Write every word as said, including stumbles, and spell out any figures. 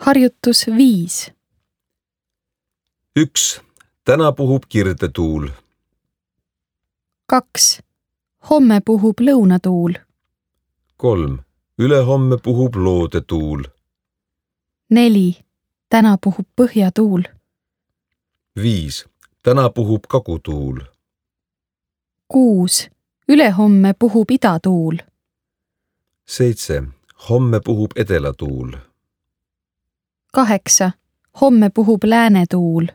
Harjutus viis. üks. Täna puhub kirdetuul. kaks. Homme puhub lõunatuul. kolm. Ülehomme puhub loodetuul. neli. Täna puhub põhjatuul. viis. Täna puhub kagutuul. kuus. Ülehomme puhub idatuul. seitse. Homme puhub edelatuul. kaheksa. Homme puhub läänetuul.